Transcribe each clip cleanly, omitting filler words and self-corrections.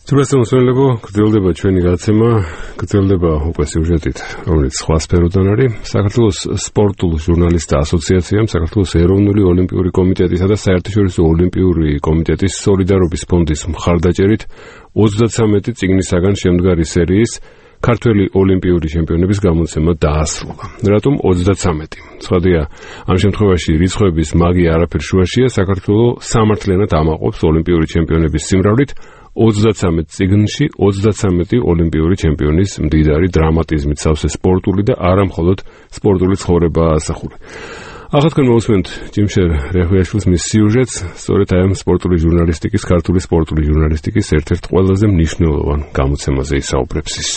Სურასწავლო, გრძელდება ჩვენი გაცემა, გრძელდება უკვე სიუჟეტით, რომელიც სხვა სფეროდან არის. საქართველოს სპორტულ ჟურნალისტთა ასოციაციამ, საქართველოს ეროვნული ოლიმპიური კომიტეტისა და საერთაშორისო ოლიმპიური კომიტეტის სოლიდარობის ფონდის მხარდაჭერით 33 წიგნისაგან შემდგარი სერიის ქართველი ოლიმპიური ჩემპიონების გამოცემა დაასრულა. რატომ 33? ცხადია, ამ შემთხვევაში რიცხვების მაგია არაფერ შუაშია, საქართველოს სამართლიანად ამაყობს ოლიმპიური ჩემპიონების სიმრავლით 33 წიგნში 33 ოლიმპიური ჩემპიონის მდიდარი დრამატიზმით სავსე სპორტული და არა მხოლოდ სპორტული ცხოვრებაა ასახული. ახლა თქვენ მოусმენთ ჯიმშერ რეხვიაშვილის მის სიუჟეტს, სწორედ ამ სპორტული ჟურნალისტიკის, ქართული სპორტული ჟურნალისტიკის ერთ-ერთ ყველაზე მნიშვნელოვან გამოცემაზე ისაუბრებს ის.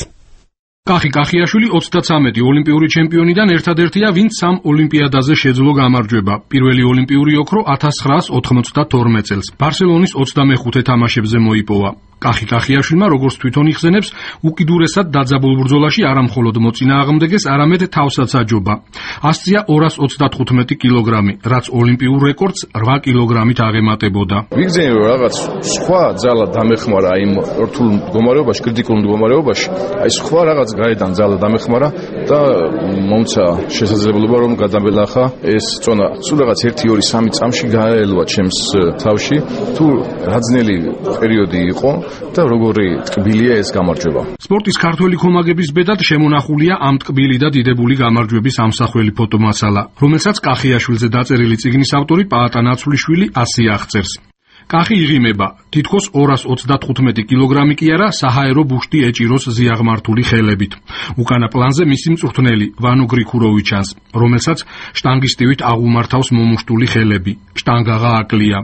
კახი კახიაშვილი 33 ოლიმპიური ჩემპიონიდან ერთადერთია, ვინც სამ ოლიმპიადაზე შეძლო გამარჯვება. პირველი ოლიმპიური ოქრო 1992 წელს ბარსელონის 25 თამაშებზე მოიპოვა. კახი კახიაშვილმა, როგორც თვითონ იხსენებს, უკიდურესად დაძაბულ ბრძოლაში არა მხოლოდ მოწინააღმდეგეს, არამედ თავსაც აჯობა. ასწია 235 კილოგრამი, რაც ოლიმპიურ რეკორდს 8 კილოგრამით აღემატებოდა. ვიგრძენი რომ რაღაც სხვა ძალა დამეხმარა იმ რთულ მდგომარეობაში, კრიტიკულ მდგომარეობაში, აი სხვა რაღაც გაედან ძალა დამეხმარა და მომცა შესაძლებლობა რომ გადამელახა ეს წონა. სულ რაღაც 1, 2, 3 წამში გაელვა ჩემს თავში, თუ რაძნელი პერიოდი იყო და როგორი ტკბილია ეს გამარჯვება. სპორტის ქართველი ხომაგების ბედად შემონახულია ამ ტკბილი და დიდებული გამარჯვების ამსახველი ფოტომასალა, რომელსაც კახიაშვილზე დაწერილი წიგნის ავტორი პაატა ნაცვლიშვილი ასე აღწერს. კახი იღიმება, თითქოს 235 კილოგრამი კი არა, საჰაერო ბუშტი ეჭიროს ზიაღმართული ხელებით. უკანა პლანზე მისი მწვრთნელი ვანო გრიქუროვი ჩანს, რომელსაც შტანგისტივით აღუმართავს მომუშტული ხელები. შტანგაღა აკლია.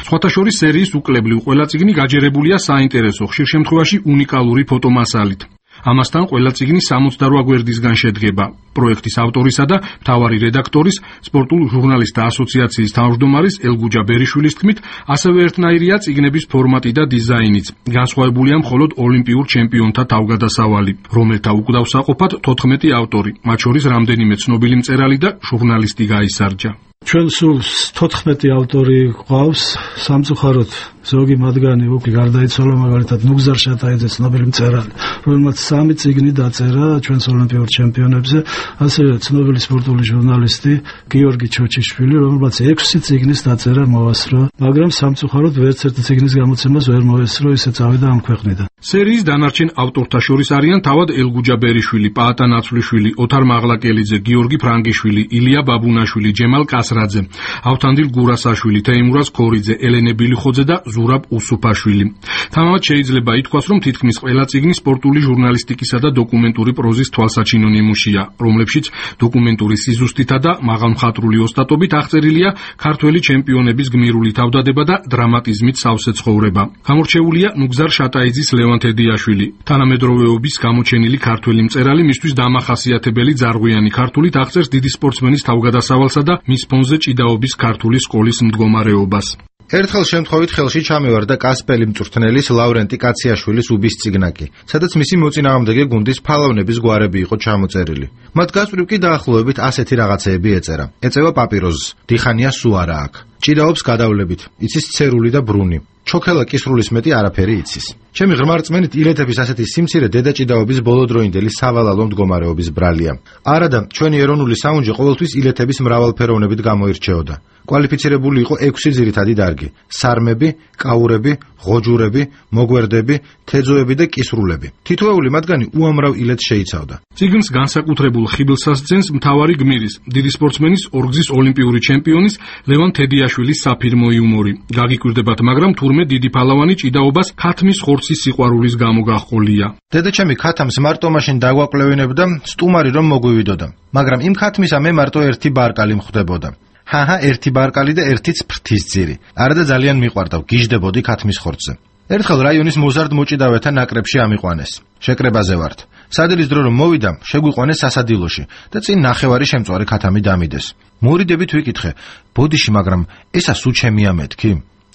სხვათა შორის სერიის უკლებლივ ყველა წიგნი გაჯერებულია საინტერესო, ხშირ შემთხვევაში უნიკალური ფოტომასალით. ამასთან ყველა წიგნი 68 გვერდისგან შედგება. პროექტის ავტორისა და მთავარი რედაქტორის, სპორტულ ჟურნალისტთა ასოციაციის თავმჯდომარის ელგუჯა ბერიშვილის თქმით, ასევე ერთნაირია წიგნების ფორმატი და დიზაინიც. განსხვავებულია მხოლოდ ოლიმპიურ ჩემპიონთა თავგადასავალი, რომელთა უკვდავსაყოფად 14 ავტორი, მათ შორის რამდენიმე ცნობილი მწერალი და ჟურნალისტი გაისარჯა. ჩვენ სულ 14 ავტორი გვყავს, სამწუხაროდ ზოგი მათგანი უკვე გარდაიცვალა, მაგალითად ნუგზარ შატაიძე, ცნობილი მწერალი, რომელმაც 3 წიგნი დაწერა ჩვენს ოლიმპიურ ჩემპიონებზე, ასევე ცნობილი სპორტული ჟურნალისტი გიორგი ჩოჩიშვილი, რომელმაც 6 წიგნის დაწერა მოასწრო, მაგრამ სამწუხაროდ ვერც ერთი წიგნის გამოცემას ვერ მოესწრო, ისე წავიდა ამ ქვეყნიდან. სერიის დანარჩენ ავტორთა შორის არიან თავად ელგუჯა ბერიშვილი, პაატა ნაცვლიშვილი, ოთარ მაღლაკელიძე, გიორგი ფრანგიშვილი, ილია ბაბუნაშვილი, ჯემალ კასრაძე, ავთანდილ გურასაშვილი, თეიმურაზ ქორიძე, ელენე ბილიხოძე და ზურაბ უსუფაშვილი. თამამად შეიძლება ითქვას, რომ თითქმის ყველა წიგნი სპორტული ჟურნალისტიკისა და დოკუმენტური პროზის თვალსაჩინო ნიმუშია, რომლებშიც დოკუმენტური სიზუსტითა და მაღალმხატვრული ოსტატობით აღწერილია ქართველი ჩემპიონების გმირული თავდადება და დრამატიზმით სავსე ცხოვრება. გამორჩეულია ნუგზარ შატაიძის ლევან თედიაშვილი, თანამედროვეობის გამოჩენილი ქართველი მწერალი, მისთვის დამახასიათებელი ძარღვიანი ქართულით აღწერს დიდი სპორტსმენის თავგადასავალსა და მის ფონზე ჭიდაობის ქართული სკოლის მდგომარეობას. ერთხელ შემთხვევით ხელში ჩამევარდა კასპელი მწვრთნელის ლავრენტი კაციაშვილის უბის წიგნაკი, სადაც მისი მოწინააღმდეგე გუნდის ფალავნების გვარები იყო ჩამოწერილი. მათ გასწვრივ კი დაახლოებით ასეთი რაღაცეები ეწერა. ეწევა პაპიროზს, დიხანია სუარა აქ. ჭიდაობს გადავლებით, იცის ცერული და ბრუნი. ჩოქელა კისრულის მეტი არაფერი იცის. ჩემი ღრმა რწმენით ილეთების ასეთი სიმცირე დედაჭიდაობის ბოლოდროინდელი სავალალო მდგომარეობის ბრალია. არადა ჩვენი ეროვნული საუნჯე ყოველთვის ილეთების მრავალფეროვნებით გამოირჩეოდა. კვალიფიცირებული იყო 6 ძირითადი დარგი: სარმები, კაურები, ღოჯურები, მოგვერდები, თეძოები და კისრულები. თითოეული მათგანი უამრავ ილეთს შეიცავდა. წიგნს განსაკუთრებულ ხიბლს ასძენს მთავარი გმირის, დიდი სპორტსმენის, ორგზის ოლიმპიური ჩემპიონის ლევან თედიაშვილის საფირმო იუმორი. გაგიკვირდებათ, მაგრამ თურმე დიდი ფალავანი ჭიდაობას ქათმის ხორცის სიყვარულის გამო გაჰყოლია. დედაჩემი ქათამს მარტო მაშინ დაგვაკლევინებდა, სტუმარი რომ მოგვივიდოდა, მაგრამ იმ ქათმისა მე მარტო ერთი ბარკალი მხვდებოდა. ერთი ბარკალი და ერთიც ფრთის ძირი. არადა ძალიან მიყვარდა, გიждდებოდი ქათმის ხორცზე. ერთხელ რაიონის მოზარდ მოჭიდავეთა ნაკრებში ამიყვანეს. შეკრებაზე ვართ. სადილის დრო რომ მოვიდა, შეგვიყვანეს სასადილოში და წინ ნახევარი შემწვარი ქათამი დამიდეს. მორიდებით ვიკითხე, ბოდიში, მაგრამ ესა სულ ჩემია მეთქი?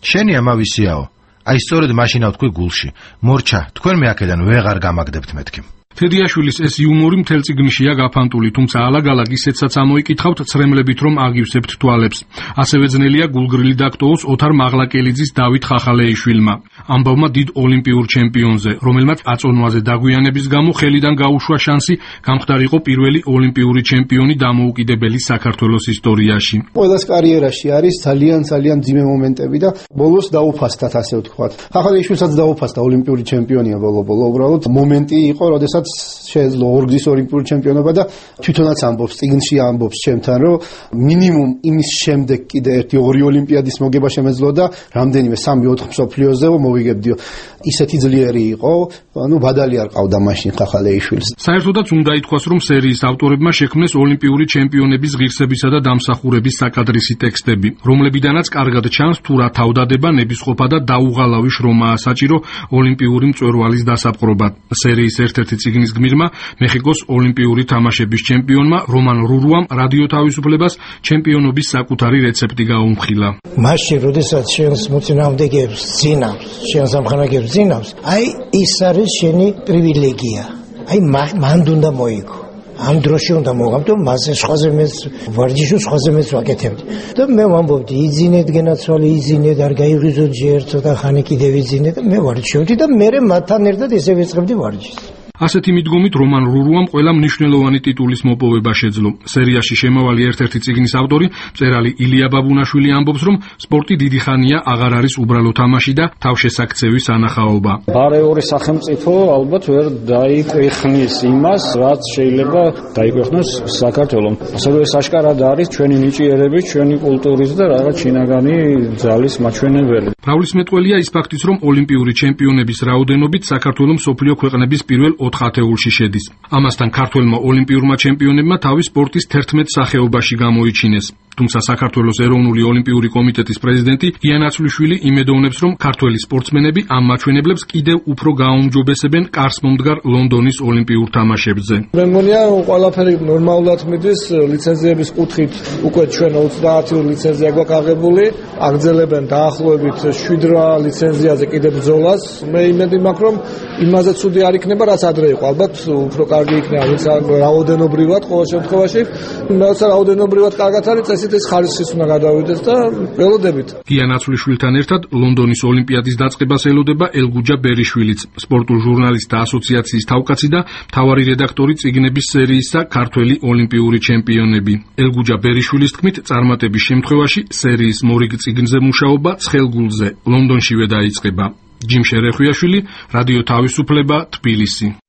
შენი ამავისიაო. აი სწორედ მაშინა ვთქვი გულში, მორჩა, თქვენ მე აქედან ვეღარ გამაგდებთ მეთქი. თედიაშვილის ეს იუმორი მთელ წიგნშია გაფანტული, თუმცა ალაგ-ალაგ ისეთსაც ამოიკითხავთ ცრემლებით, რომ აგივსებთ თვალებს. ასევე ძნელია გულგრილი დაგტოვოს ოთარ მაღლაკელიძის დავით ხახალეიშვილმა, ამბავმა დიდ ოლიმპიურ ჩემპიონზე, რომელმაც აწონვაზე დაგვიანების გამო ხელიდან გაუშვა შანსი გამხდარიყო პირველი ოლიმპიური ჩემპიონი დამოუკიდებელი საქართველოს ისტორიაში. ყველას კარიერაში არის ძალიან ძიმე მომენტები და ბოლოს დაუფასდათ, ასე ვთქვათ. ხახალეიშვილსაც დაუფასდა ოლიმპიური ჩემპიონია ბოლო-ბოლო, უბრალოდ მომენტი იყო, როდესაც შეეძლო ორგზის ოლიმპიური ჩემპიონობა და თვითონაც ამბობს, წიგნში ამბობს ჩემთან, რომ მინიმუმ იმის შემდეგ კიდე ორი ოლიმპიადის მოგება შემეძლო და რამდენიმე 3-4 მსოფლიოზეო მოვიგებდიო. ისეთი ძლიერი იყო, ბადალი არ ყავდა მაშინ ხახალეიშვილს. საერთოდაც უნდა ითქვას, რომ სერიის ავტორებმა შექმნეს ოლიმპიური ჩემპიონების ღირსებისა და დამსახურების საკადრისი ტექსტები, რომლებიდანაც კარგად ჩანს თუ რა თავდადება, ნებისყოფა და დაუღალავი შრომაა საჭირო ოლიმპიური მწვერვალის დასაპყრობად. სერიის ერთ-ერთი წიგნის გმირმა, მეხიკოს ოლიმპიური თამაშების ჩემპიონმა რომან რურუამ რადიო თავისუფლებას ჩემპიონობის საკუთარი რეცეპტი გაუმხილა. მაშინ, როდესაც შენს მოწინააღმდეგეებს ძინავს, შენს ამხანაგებს ძინავს, ის არის შენი პრივილეგია. მანდ უნდა მოიგო. ამ დროში უნდა მოვამბობ, მასე სხვაზე მეც ვარჯიშო სხვაზე მეც ვაკეთებდი. და მე ვამბობდი, იძინეთ გენაცვალე, იძინეთ, არ გაიღვიძოთ ჯერ ცოტა ხანი კიდევ იძინეთ და მე ვარჯიშობდი და მე მათთან ერთად ესე ვეწყებდი ვარჯიშს. ასეთი მიდგომით რომან რურუამ ყველა მნიშვნელოვანი ტიტულის მოპოვება შეძლო. სერიაში შემავალი ერთ-ერთი წიგნის ავტორი, მწერალი ილია ბაბუნაშვილი ამბობს, რომ სპორტი დიდი ხანია აღარ არის უბრალო თამაში და თავშესაქცევის ანახაობა. ბარეული სახელმწიფო ალბათ ვერ დაიკვეხნის იმას, რაც შეიძლება დაიკვეხნოს საქართველოს. ასევე ეს აშკარად არის ჩვენი ნიჭიერების, ჩვენი კულტურის და რაღაც შინაგანი ძალის მაჩვენებელი. მრავალისმეტყველია ის ფაქტიც, რომ ოლიმპიური ჩემპიონების რაოდენობით საქართველოს მსოფლიო ქვეყნების პირველ 4 ათეულში შედის. ამასთან ქართველმა ოლიმპიურმა ჩემპიონებმა თავის სპორტის 11 სახეობაში გამოიჩინეს. თუმცა საქართველოს ეროვნული ოლიმპიური კომიტეტის პრეზიდენტი იანაცვლიშვილი იმედოვნებს, რომ ქართველი სპორტსმენები ამ მაჩვენებლებს კიდევ უფრო გააუმჯობესებენ კარს მომდგარ ლონდონის ოლიმპიურ თამაშებზე. მე მგონია ყველაფერი ნორმალურად მიდის, ლიცენზიების კუთხით უკვე ჩვენ 30 ლიცენზია გვაქვს აღებული, აგრძელებენ დაახლოებით 7 ლიცენზიაზე კიდევ ბრძოლას. მე იმედი მაქვს, რომ იმაზე ცუდი არ იქნება, რაც ადრე იყო. ალბათ უფრო კარგი იქნება, ვინც რაოდენობრივად ყოველ შემთხვევაში, რაცა რაოდენობრივად კარგად არის, წესით ეს ხარისხის უნდა გადავიდეს და ველოდებით. იანაცვლიშვილთან ერთად ლონდონის ოლიმპიადის დაწყებას ელოდება ელგუჯა ბერიშვილიც, სპორტულ ჟურნალისტთა ასოციაციის თავკაცი და მთავარი რედაქტორი წიგნების სერიისა ქართველი ოლიმპიური ჩემპიონები. ელგუჯა ბერიშვილის თქმით, წარმატების შემთხვევაში სერიის მორიგ წიგნზე მუშაობა ცხელგულზე ლონდონშივე დაიწყება. ჯიმ შერეხვიაშვილი, რადიო თავისუფლება, თბილისი.